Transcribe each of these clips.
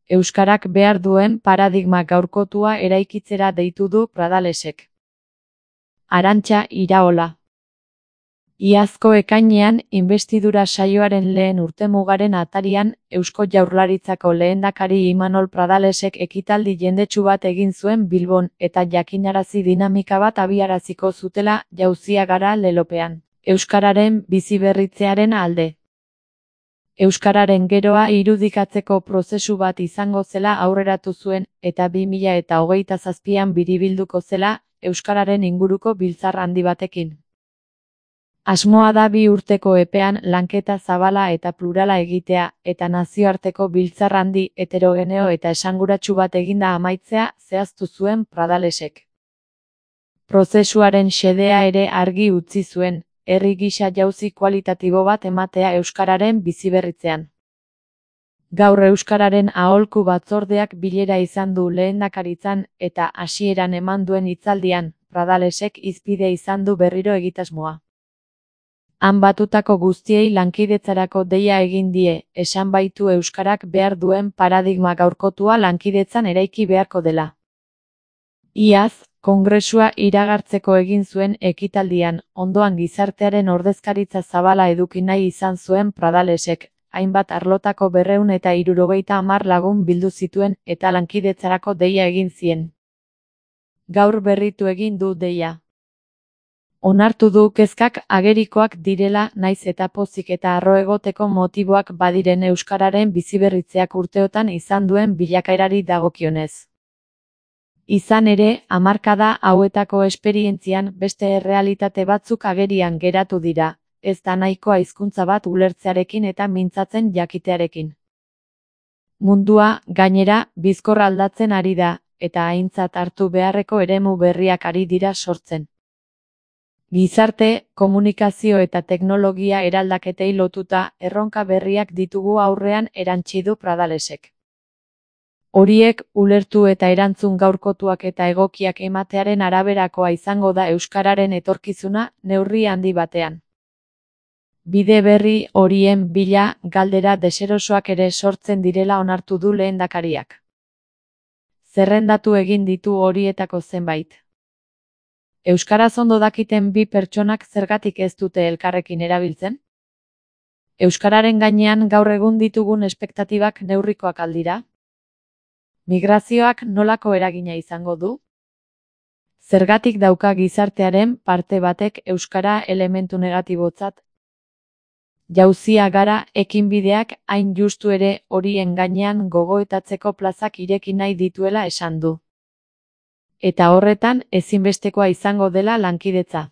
Euskarak behar duen paradigma gaurkotua eraikitzera deitu du Pradalesek. Arantxa Iraola. Iazko ekainean, inbestidura saioaren lehen urtemugaren atarian, Eusko Jaurlaritzako lehendakari Imanol Pradalesek ekitaldi jendetsu bat egin zuen Bilbon, eta jakinarazi dinamika bat abiaraziko zutela Jauzia gara lelopean, euskararen biziberritzearen alde. Euskararen geroa irudikatzeko prozesu bat izango zela aurreratu zuen, eta 2027an biribilduko zela, euskararen inguruko biltzar handi batekin. Asmoa da 2 urteko epean lanketa zabala eta plurala egitea, eta nazioarteko biltzar handi, heterogeneo eta esanguratsu bat eginda amaitzea zehaztu zuen Pradalesek. Prozesuaren xedea ere argi utzi zuen, herri gisa jauzi kualitatibo bat ematea euskararen biziberritzean. Gaur euskararen aholku batzordeak bilera izan du lehendakaritzan eta hasieran eman duen hitzaldian, Pradalesek hizpide izan du berriro egitasmoa. Han batutako guztiei lankidetzarako deia egin die, esan baitu euskarak behar duen paradigma gaurkotua lankidetzan eraiki beharko dela. Iaz, kongresua iragartzeko egin zuen ekitaldian, ondoan gizartearen ordezkaritza zabala eduki nahi izan zuen Pradalesek, hainbat arlotako 270 lagun bildu zituen eta lankidetzarako deia egin zien. Gaur berritu egin du deia. Onartu du kezkak agerikoak direla naiz eta pozik eta harro egoteko motiboak badiren euskararen biziberritzeak urteotan izan duen bilakaerari dagokionez. Izan ere, hamarkada hauetako esperientzian beste errealitate batzuk agerian geratu dira, ez da nahikoa hizkuntza bat ulertzearekin eta mintzatzen jakitearekin. Mundua, gainera, bizkor aldatzen ari da, eta aintzat hartu beharreko eremu berriak ari dira sortzen. Gizarte, komunikazio eta teknologia eraldaketei lotuta erronka berriak ditugu aurrean erantsi du Pradalesek. Horiek ulertu eta erantzun gaurkotuak eta egokiak ematearen araberakoa izango da euskararen etorkizuna neurri handi batean. Bide berri horien bila galdera deserosoak ere sortzen direla onartu du lehendakariak. Zerrendatu egin ditu horietako zenbait. Euskaraz ondo dakiten 2 pertsonak zergatik ez dute elkarrekin erabiltzen? Euskararen gainean gaur egun ditugun espektatibak neurrikoak aldira? Migrazioak nolako eragina izango du? Zergatik dauka gizartearen parte batek euskara elementu negatibotzat? Jauzia gara ekinbideak hain justu ere horien gainean gogoetatzeko plazak ireki nahi dituela esan du. Eta horretan ezinbestekoa izango dela lankidetza.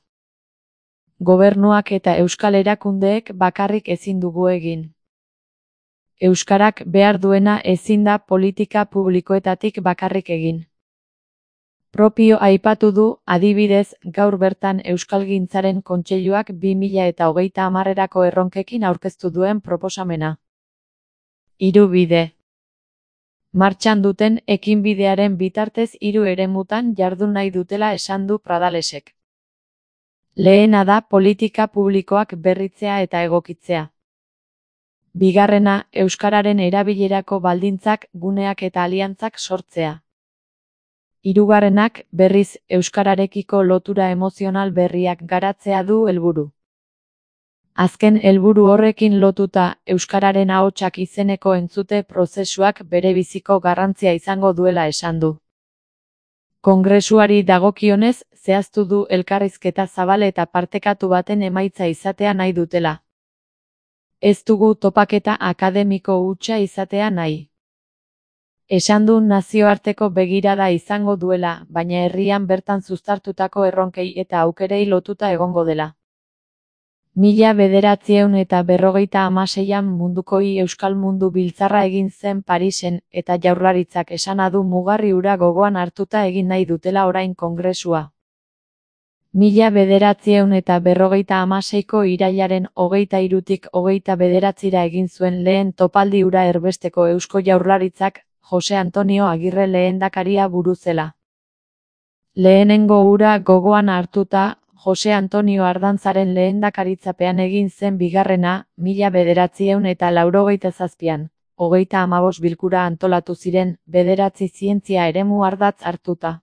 Gobernuak eta euskal erakundeek bakarrik ezin dugu egin. Euskarak behar duena ezin da politika publikoetatik bakarrik egin. Propio aipatu du, adibidez, gaur bertan Euskalgintzaren Kontseiluak 2030erako erronkekin aurkeztu duen proposamena. 3 bide. Martxan duten ekinbidearen bitartez 3 eremutan jardun nahi dutela esan du Pradalesek. Lehena da politika publikoak berritzea eta egokitzea. Bigarrena, euskararen erabilerako baldintzak, guneak eta aliantzak sortzea. Hirugarrenak, berriz, euskararekiko lotura emozional berriak garatzea du helburu. Azken helburu horrekin lotuta, euskararen ahotsak izeneko entzute prozesuak bere biziko garrantzia izango duela esan du. Kongresuari dagokionez, zehaztu du elkarrizketa zabal eta partekatu baten emaitza izatea nahi dutela. Ez dugu topaketa akademiko hutsa izatea nahi. Esan du nazioarteko begirada izango duela, baina herrian bertan zuztartutako erronkei eta aukerei lotuta egongo dela. 1956an Munduko Euskal Mundu Biltzarra egin zen Parisen eta Jaurlaritzak esana du mugarri hura gogoan hartuta egin nahi dutela orain kongresua. 1956ko irailaren 23tik 29ra egin zuen lehen topaldi hura erbesteko Eusko Jaurlaritzak Jose Antonio Agirre lehendakaria buru zela. Lehenengo hura gogoan hartuta, Jose Antonio Ardantzaren lehendakaritzapean egin zen bigarrena, 1987an. 35 bilkura antolatu ziren, 9 zientzia eremu ardatz hartuta.